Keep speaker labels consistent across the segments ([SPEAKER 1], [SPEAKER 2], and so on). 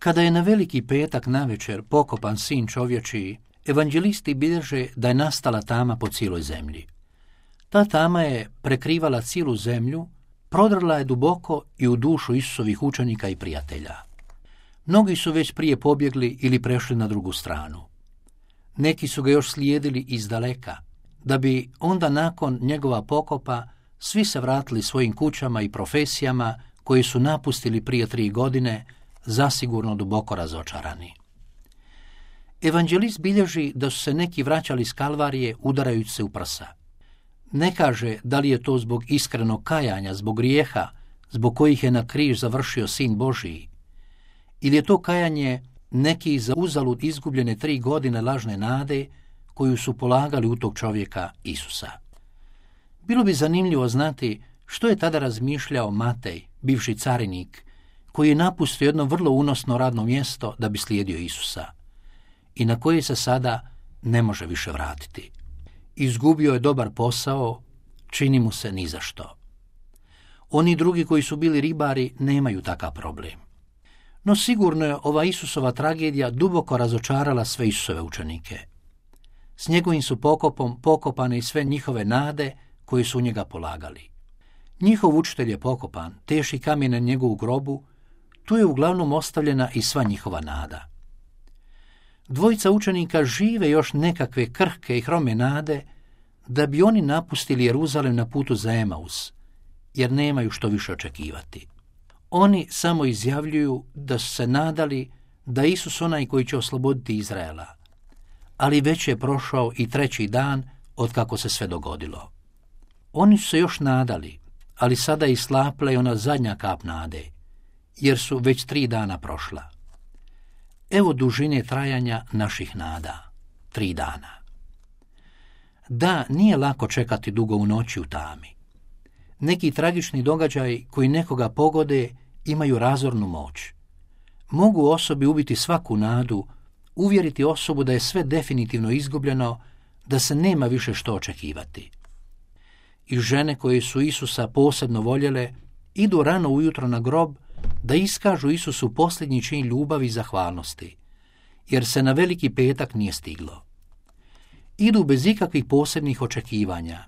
[SPEAKER 1] Kada je na Veliki petak navečer pokopan sin čovječiji, evanđelisti bilježe da je nastala tama po cijeloj zemlji. Ta tama je prekrivala cijelu zemlju, prodrla je duboko i u dušu Isusovih učenika i prijatelja. Mnogi su već prije pobjegli ili prešli na drugu stranu. Neki su ga još slijedili izdaleka, da bi onda nakon njegova pokopa svi se vratili svojim kućama i profesijama koje su napustili prije 3 godine, zasigurno duboko razočarani. Evanđelist bilježi da su se neki vraćali s Kalvarije udarajući se u prsa. Ne kaže da li je to zbog iskrenog kajanja, zbog grijeha, zbog kojih je na križ završio Sin Božiji, ili je to kajanje neki za uzalud izgubljene 3 godine lažne nade koju su polagali u tog čovjeka Isusa. Bilo bi zanimljivo znati što je tada razmišljao Matej, bivši carinik, koji je napustio jedno vrlo unosno radno mjesto da bi slijedio Isusa i na koje se sada ne može više vratiti. Izgubio je dobar posao, čini mu se ni za što. Oni drugi koji su bili ribari nemaju takav problem. No sigurno je ova Isusova tragedija duboko razočarala sve Isusove učenike. S njegovim su pokopom pokopane i sve njihove nade koje su u njega polagali. Njihov učitelj je pokopan, teški kamen na njegovu grobu, tu je uglavnom ostavljena i sva njihova nada. Dvojica učenika žive još nekakve krhke i hrome nade da bi oni napustili Jeruzalem na putu za Emaus, jer nemaju što više očekivati. Oni samo izjavljuju da su se nadali da je Isus onaj koji će osloboditi Izraela, ali već je prošao i 3. dan od kako se sve dogodilo. Oni su se još nadali, ali sada je islapla i ona zadnja kap nade, jer su već 3 dana prošla. Evo dužine trajanja naših nada, 3 dana. Da, nije lako čekati dugo u noći u tami. Neki tragični događaji koji nekoga pogode imaju razornu moć. Mogu osobi ubiti svaku nadu, uvjeriti osobu da je sve definitivno izgubljeno, da se nema više što očekivati. I žene koje su Isusa posebno voljele idu rano ujutro na grob da iskažu Isusu posljednji čin ljubavi i zahvalnosti, jer se na Veliki petak nije stiglo. Idu bez ikakvih posebnih očekivanja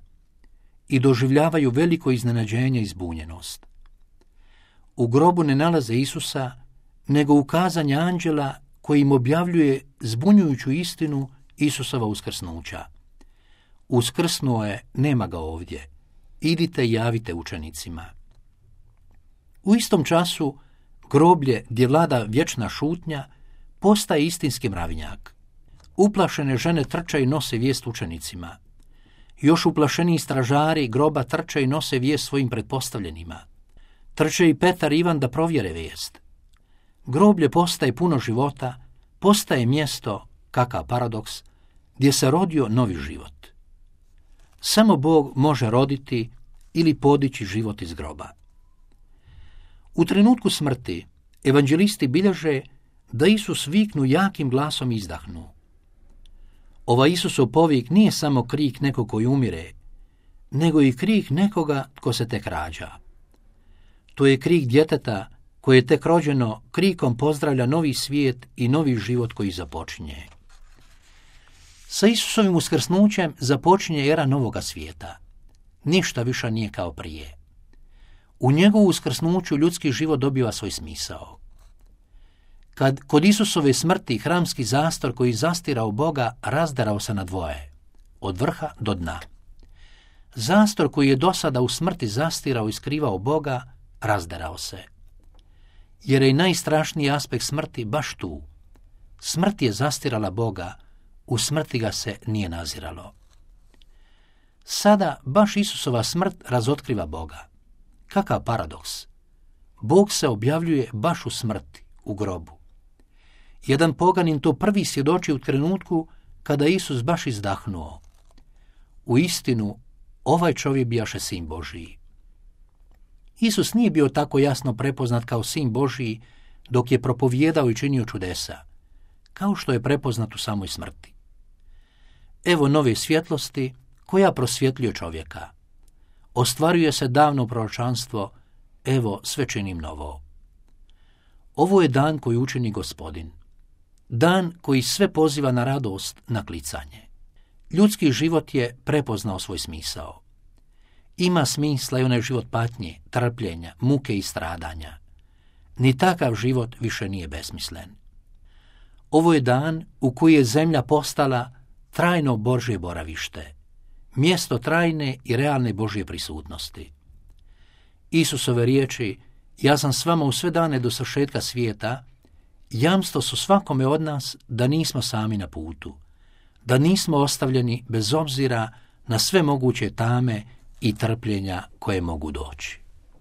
[SPEAKER 1] i doživljavaju veliko iznenađenje i zbunjenost. U grobu ne nalaze Isusa, nego ukazanje anđela koji im objavljuje zbunjujuću istinu Isusova uskrsnuća. Uskrsnuo je, nema ga ovdje. Idite i javite učenicima. U istom času groblje gdje vlada vječna šutnja postaje istinski mravinjak. Uplašene žene trče i nose vijest učenicima. Još uplašeniji stražari groba trče i nose vijest svojim pretpostavljenima. Trče i Petar i Ivan da provjere vijest. Groblje postaje puno života, postaje mjesto, kakav paradoks, gdje se rodio novi život. Samo Bog može roditi ili podići život iz groba. U trenutku smrti evanđelisti bilježe da Isus viknu jakim glasom i izdahnu. Ova Isusov povik nije samo krik nekog koji umire, nego i krik nekoga tko se tek rađa. To je krik djeteta koje je tek rođeno, krikom pozdravlja novi svijet i novi život koji započinje. Sa Isusovim uskrsnućem započinje era novoga svijeta. Ništa više nije kao prije. U njegovu uskrsnuću ljudski život dobiva svoj smisao. Kad kod Isusove smrti hramski zastor koji zastirao Boga razderao se na dvoje, od vrha do dna. Zastor koji je do sada u smrti zastirao i skrivao Boga razderao se. Jer je i najstrašniji aspekt smrti baš tu. Smrt je zastirala Boga, u smrti ga se nije naziralo. Sada baš Isusova smrt razotkriva Boga. Kakav paradoks! Bog se objavljuje baš u smrti, u grobu. Jedan poganin to prvi svjedoči u trenutku kada Isus baš izdahnuo. U istinu, ovaj čovjek bijaše Sin Božiji. Isus nije bio tako jasno prepoznat kao Sin Božiji dok je propovijedao i činio čudesa, kao što je prepoznat u samoj smrti. Evo nove svjetlosti koja prosvjetljuje čovjeka. Ostvaruje se davno proročanstvo, evo sve činim novo. Ovo je dan koji učini Gospodin. Dan koji sve poziva na radost, na klicanje. Ljudski život je prepoznao svoj smisao. Ima smisla i onaj život patnje, trpljenja, muke i stradanja. Ni takav život više nije besmislen. Ovo je dan u koji je zemlja postala trajno Božje boravište, mjesto trajne i realne Božje prisutnosti. Isusove riječi, ja sam s vama u sve dane do svršetka svijeta, jamstvo su svakome od nas da nismo sami na putu, da nismo ostavljeni bez obzira na sve moguće tame i trpljenja koje mogu doći.